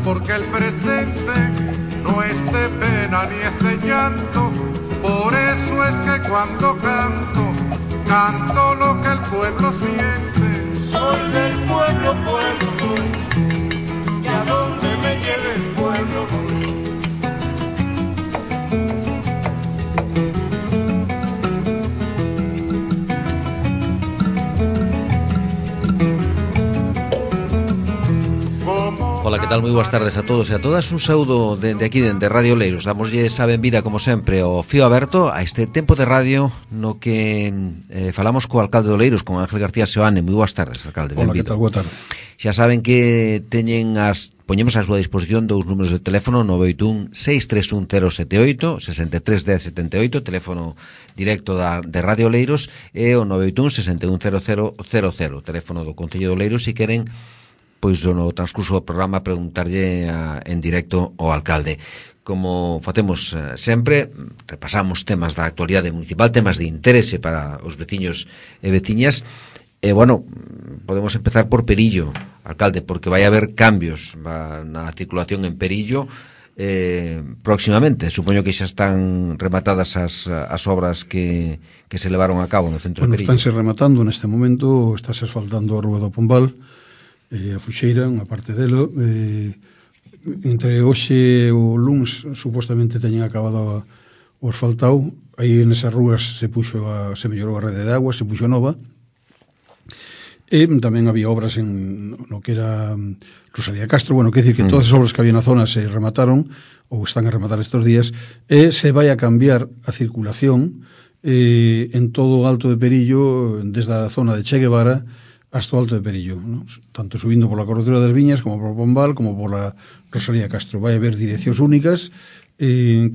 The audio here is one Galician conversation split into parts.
porque el presente no es de pena ni es de llanto. Por eso es que cuando canto, canto lo que el pueblo siente. Soy del pueblo, pueblo soy, y a donde me lleve el pueblo voy. Ola, que tal? Moi boas tardes a todos e a todas. Un saúdo dende aquí, dende Radio Oleiros. Damoslle esa benvida, como sempre, ao fío aberto a este tempo de radio no que falamos co alcalde de Oleiros, con Ángel García Seoane. Moi boas tardes, alcalde. Ola, que tal? Boa tarde. Xa saben que poñemos a súa disposición dous números de teléfono: 981-631-078, 63-10-78, teléfono directo de Radio Oleiros, e o 981-610000, teléfono do Concello de Oleiros, se queren pois no transcurso do programa preguntarlle en directo ao alcalde. Como facemos sempre, repasamos temas da actualidade municipal, temas de interese para os veciños e veciñas. E, bueno, podemos empezar por Perillo, alcalde, porque vai haber cambios na circulación en Perillo próximamente. Supoño que xa están rematadas as obras que se levaron a cabo no centro de Perillo. Estánse rematando neste momento, estáse asfaltando a Rúa do Pombal, a Fuxeira, unha parte delo. Entre hoxe e o luns supostamente teñen acabado o asfaltado. Aí nesas rúas se mellorou a rede de agua, se puxo nova. E tamén había obras no que era Rosalía Castro. Bueno, quer dicir que todas as obras que había na zona se remataron, ou están a rematar estes días, e se vai a cambiar a circulación en todo o Alto de Perillo, desde a zona de Che Guevara hasta o Alto de Perillo, ¿no? Tanto subindo pola Corretura das Viñas como por Pombal como pola Rosalía Castro. Vai haber direccións únicas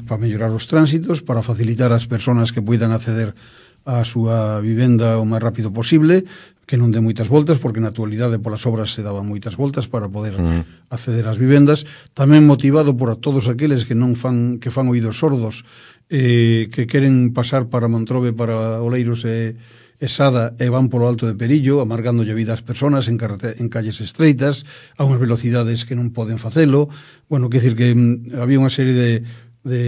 para mellorar os tránsitos, para facilitar as persoas que poidan acceder á súa vivenda o máis rápido posible, que non dé moitas voltas, porque na actualidade polas obras se daban moitas voltas para poder acceder ás vivendas. Tamén motivado por todos aqueles que fan oídos sordos, que queren pasar para Montrobe, para Oleiros e Sada, e van polo Alto de Perillo, amargándolle vida ás persoas en calles estreitas, a unhas velocidades que non poden facelo. Bueno, quer dicir que había unha serie de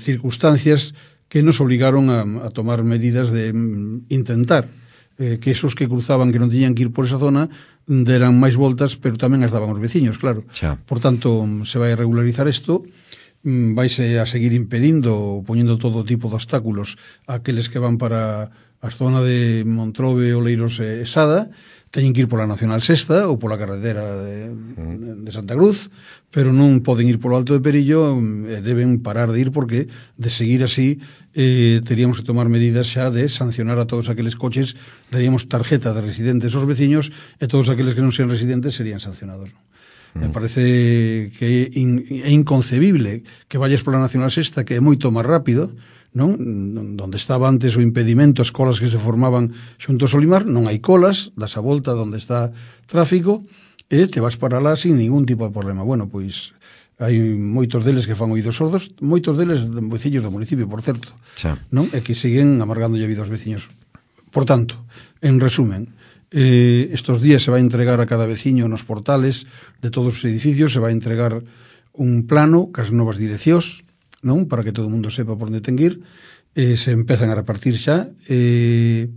circunstancias que nos obligaron a tomar medidas de intentar que esos que cruzaban, que non teñían que ir por esa zona, deran máis voltas, pero tamén as daban os veciños, claro. Por tanto, se vai a regularizar isto, vaise a seguir impedindo, poñendo todo tipo de obstáculos a aqueles que van para a zona de Montrobe, Oleiros e Sada. Teñen que ir pola Nacional Sexta ou pola carretera de Santa Cruz, pero non poden ir polo Alto de Perillo, deben parar de ir, porque de seguir así teríamos que tomar medidas xa de sancionar a todos aqueles coches, daríamos tarjeta de residentes aos veciños, e todos aqueles que non sean residentes serían sancionados, ¿no? Me parece que é inconcebible que vayas pola Nacional Sexta, que é moito máis rápido, non? Donde estaba antes o impedimento, as colas que se formaban xunto ao Solimar, non hai colas, das a volta donde está tráfico, e te vas para lá sin ningún tipo de problema. Bueno, pois hai moitos deles que fan oídos sordos, moitos deles veciños do municipio, por certo, non? E que siguen amargándolle a vida aos veciños. Por tanto, en resumen, estos días se vai entregar a cada veciño nos portales de todos os edificios, se vai entregar un plano cas novas direccións, non? Para que todo o mundo sepa por onde ten que ir. Se empezan a repartir xa,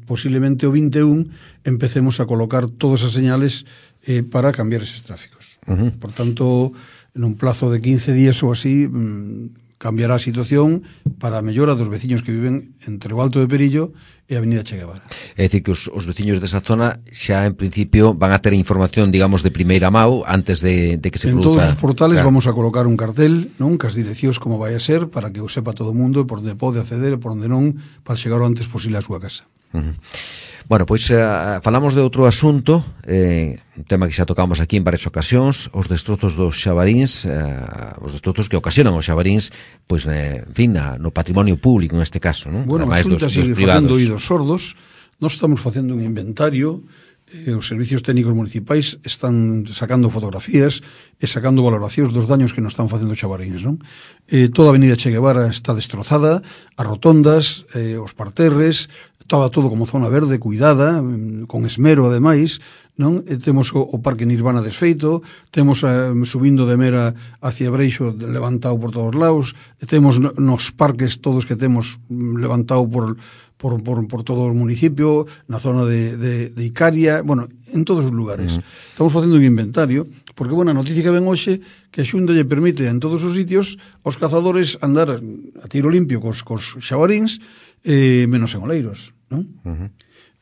posiblemente o 21 empecemos a colocar todas as señales para cambiar eses tráficos. Por tanto, nun plazo de 15 días ou así, cambiará a situación para a mellora dos veciños que viven entre o Alto de Perillo e a Avenida Che Guevara. É dicir, que os veciños desa zona xa en principio van a ter información, digamos, de primeira mão antes de que se produza. En todos os portales vamos a colocar un cartel, non? Cas direccións como vai a ser, para que o sepa todo o mundo, por onde pode acceder e por onde non, para chegar o antes posible á súa casa. Bueno, pois falamos de outro asunto, un tema que xa tocamos aquí en varias ocasións, os destrozos dos xabaríns, os destrozos que ocasionan os xabaríns, pois, en fin, no patrimonio público neste caso, non? Bueno, a Xunta sigue facendo oídos sordos. Nós estamos facendo un inventario, os servicios técnicos municipais están sacando fotografías e sacando valoracións dos daños que nos están facendo os xabaríns, non? Toda a Avenida Che Guevara está destrozada, as rotondas, os parterres, estaba todo como zona verde, cuidada, con esmero ademais, non? E temos o Parque Nirvana desfeito, temos subindo de Mera hacia Breixo levantado por todos lados, e temos nos parques todos que temos levantado por todo o municipio, na zona de Icaria, bueno, en todos os lugares. Estamos facendo un inventario, porque, bueno, a noticia que ven hoxe que a Xunta lle permite en todos os sitios aos cazadores andar a tiro limpio cos xabaríns, menos en Oleiros, non?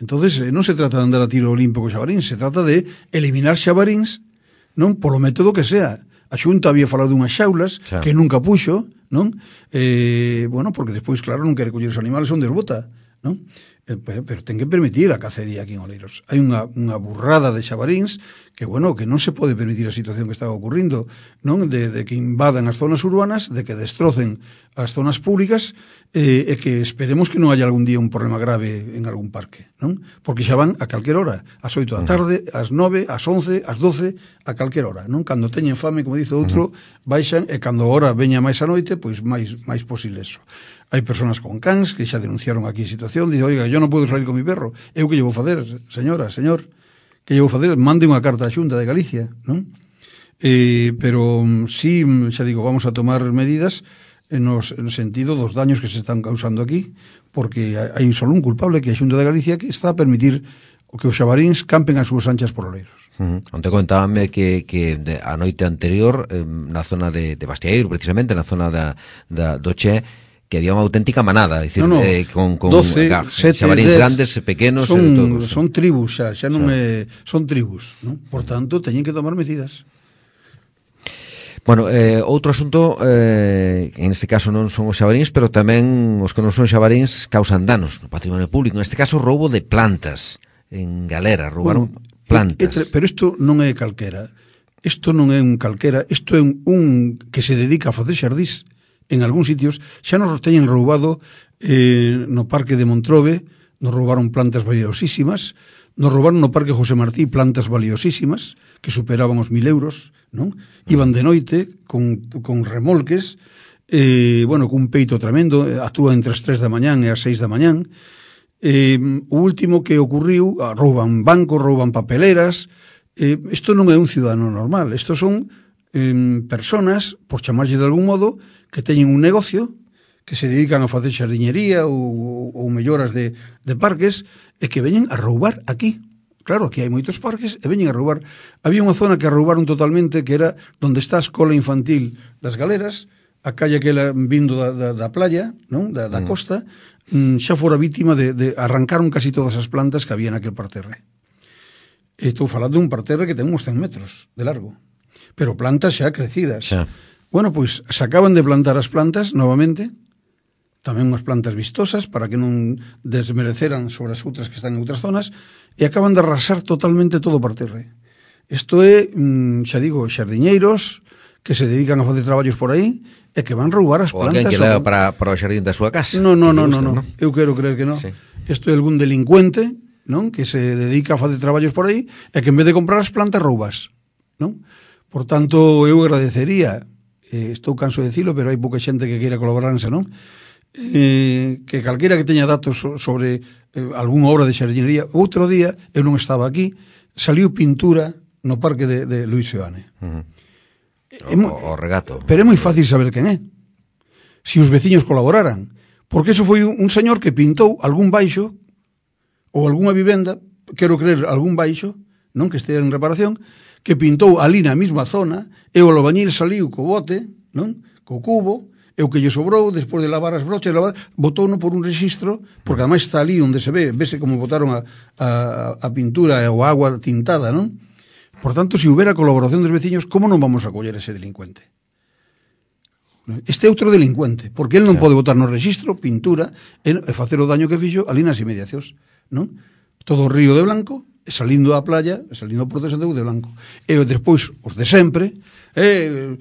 Entonces, non se trata de andar a tiro limpo co xabarín, se trata de eliminar xabaríns, non? Polo método que sea. A Xunta había falado dunhas xaulas que nunca puxo, non? Bueno, porque despois, claro, non quere coller os animales onde os bota, non? Pero ten que permitir a cacería aquí en Oleiros. Hai unha burrada de xabaríns que, bueno, que non se pode permitir a situación que está ocurrindo, non? De que invadan as zonas urbanas, de que destrocen as zonas públicas, e que esperemos que non haya algún día un problema grave en algún parque, non? Porque xa van a calquer hora, ás 8 da tarde, ás 9, ás 11, ás 12, a calquer hora, non? Cando teñen fame, como dice outro, baixan, e cando a hora veña máis a noite, pois máis posible eso. Hai persoas con cans que xa denunciaron aquí a situación, dice, oiga, yo non podo salir con mi perro, eu que lle vou facer, señora, señor, que lle vou facer, mande unha carta á Xunta de Galicia, non? Pero sí, xa digo, vamos a tomar medidas no sentido dos daños que se están causando aquí, porque hai só un culpable, que é a Xunta de Galicia, que está a permitir que os xabaríns campen as súas anchas por Oleiros. Onte contábame que a noite anterior, na zona de Bastiaeiro, precisamente, na zona do Che, que había unha auténtica manada, decir, con 12, xabaríns grandes, pequenos, son tribus xa non son tribus, non? Por tanto, teñen que tomar medidas. Bueno, outro asunto, en este caso non son os xabaríns, pero tamén os que non son xabaríns causan danos no patrimonio público. En este caso, roubo de plantas en Galera, roubaron plantas. Pero isto non é calquera. Isto non é un calquera, isto é un que se dedica a facer xardís. En algúns sitios xa nos teñen roubado no Parque de Montrobe, nos roubaron plantas valiosísimas, nos roubaron no Parque José Martí plantas valiosísimas que superaban os 1.000 euros, non? Iban de noite con remolques, bueno, cun peito tremendo, actúa entre as 3 da mañán e as 6 da mañán. O último que ocurriu, rouban bancos, rouban papeleras. Isto non é un cidadano normal, isto son personas, por chamarlle de algún modo, que teñen un negocio, que se dedican a facer xardiñería ou melloras de parques, e que veñen a roubar aquí. Claro, aquí hai moitos parques e veñen a roubar. Había unha zona que roubaron totalmente, que era onde está a escola infantil das Galeras, a calle aquela vindo da playa, non? Da costa, xa fora vítima de arrancaron casi todas as plantas que había naquel parterre. Estou falando dun parterre que ten uns 100 metros de largo, pero plantas xa crecidas. Xa. Bueno, pois se acaban de plantar as plantas novamente, tamén unhas plantas vistosas para que non desmereceran sobre as outras que están en outras zonas, e acaban de arrasar totalmente todo o parterre. Isto é, xa digo, xardiñeiros que se dedican a facer traballos por aí e que van roubar as plantas. Ou alguén que leva para o xardín da súa casa. Non. Eu quero creer que non. Sí. Isto é algún delincuente, non? Que se dedica a facer traballos por aí e que en vez de comprar as plantas roubas, non? Por tanto, eu agradecería, estou canso de dicilo, pero hai pouca xente que queira colaborarse, non? Que calquera que teña datos sobre algunha obra de xardinería. Outro día, eu non estaba aquí, saliu pintura no parque de Luis Seoane. O regato. Pero é moi fácil saber quen é. Si os veciños colaboraran. Porque eso foi un señor que pintou algún baixo ou algunha vivenda, quero creer algún baixo, non que estea en reparación, que pintou ali na mesma zona, e o albañil saliu co bote, non? Co cubo, e o que lle sobrou, despois de lavar as brochas, botouno por un rexistro, porque ademais está ali onde se vese como botaron a pintura ou a agua tintada, non? Por tanto, se houbera colaboración dos veciños, como non vamos a coller ese delincuente? Este é outro delincuente, porque el non pode botar no rexistro pintura e facer o daño que fixo ali nas inmediacións, non? Todo o río de blanco, salindo á playa, salindo por de Santa Cruz de blanco. E despois, os de sempre,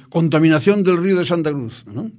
contaminación del río de Santa Cruz, non?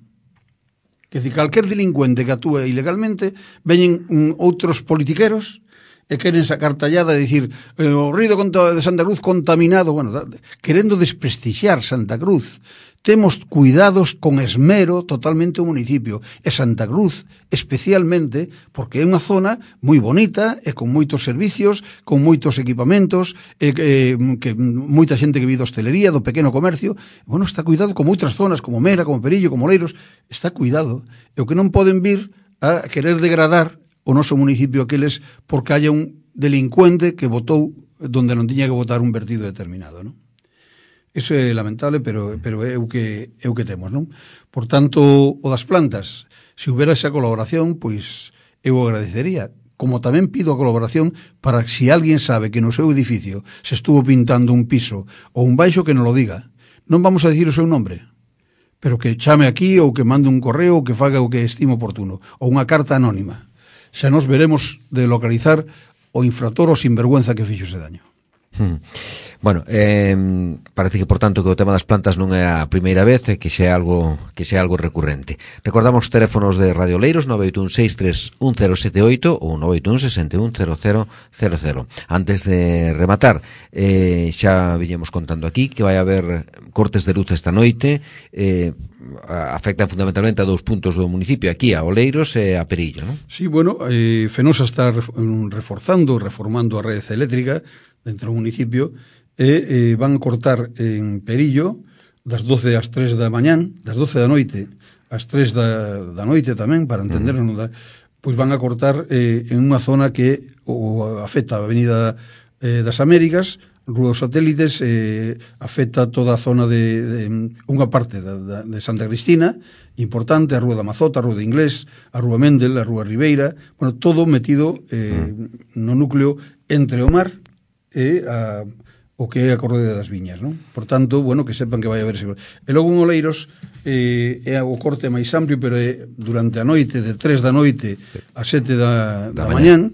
Que calquer delincuente que actúe ilegalmente, veñen outros politiqueros e queren sacar tallada e dicir o río de Santa Cruz contaminado, bueno, querendo desprestixiar Santa Cruz. Temos cuidados con esmero totalmente o municipio, e Santa Cruz especialmente, porque é unha zona moi bonita e con moitos servicios, con moitos equipamentos, que moita xente que vive da hostelería, do pequeno comercio, bueno, está cuidado como outras zonas, como Mera, como Perillo, como Oleiros, está cuidado. E o que non poden vir a querer degradar o noso municipio aqueles porque haya un delincuente que votou donde non tiña que votar un vertido determinado, non? Iso é lamentable, pero é o que temos, non? Por tanto, o das plantas, se houbera esa colaboración, pois eu agradecería. Como tamén pido a colaboración para que se alguén sabe que no seu edificio se estuvo pintando un piso ou un baixo, que non lo diga. Non vamos a dicir o seu nombre, pero que chame aquí ou que mande un correo ou que faga o que estime oportuno, ou unha carta anónima. Xa nos veremos de localizar o infractor ou sinvergüenza que fixo ese daño. Bueno, parece que, por tanto, que o tema das plantas non é a primeira vez e que xa é algo recurrente. Recordamos os teléfonos de Radio Oleiros 981631078 ou 981610000. Antes de rematar, xa viñemos contando aquí que vai haber cortes de luz esta noite, afectan fundamentalmente a 2 puntos do municipio, aquí a Oleiros e a Perillo, non? Sí, bueno, Fenosa está reformando a rede eléctrica dentro do municipio, e van a cortar en Perillo das 12 ás 3 da mañán, das 12 da noite ás 3 da noite tamén, para entendernos, pois van a cortar en unha zona que afecta a Avenida das Américas, Rúa dos Satélites, afecta toda a zona de unha parte de Santa Cristina, importante, a Rúa da Mazota, a Rúa de Inglés, a Rúa Mendel, a Rúa Ribeira, bueno, todo metido no núcleo entre o mar e o que é a Correda das Viñas, non? Por tanto, bueno, que sepan que vai haber seguro. E logo en Oleiros é o corte máis amplio, pero é durante a noite, de 3 da noite a 7 da mañán,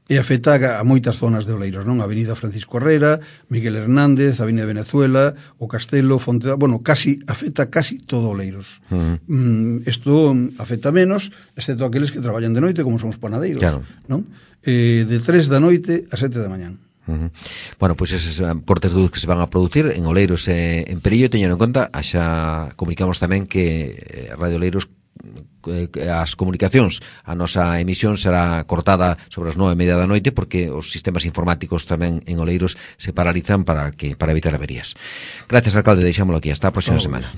e afecta a moitas zonas de Oleiros, non? A Avenida Francisco Herrera, Miguel Hernández, a Avenida Venezuela, o Castelo, Fonteda, bueno, afecta casi todo Oleiros. Isto afecta menos, excepto aqueles que traballan de noite, como son os panadeiros, claro, non? De 3 da noite a 7 da mañán. Bueno, pois eses cortes de luz que se van a producir en Oleiros e en Perillo, teñen en conta, xa comunicamos tamén que Radio Oleiros, as comunicacións, a nosa emisión será cortada sobre as 9:30 da noite, porque os sistemas informáticos tamén en Oleiros se paralizan para evitar averías. Gracias, alcalde, deixámoslo aquí, hasta a próxima semana.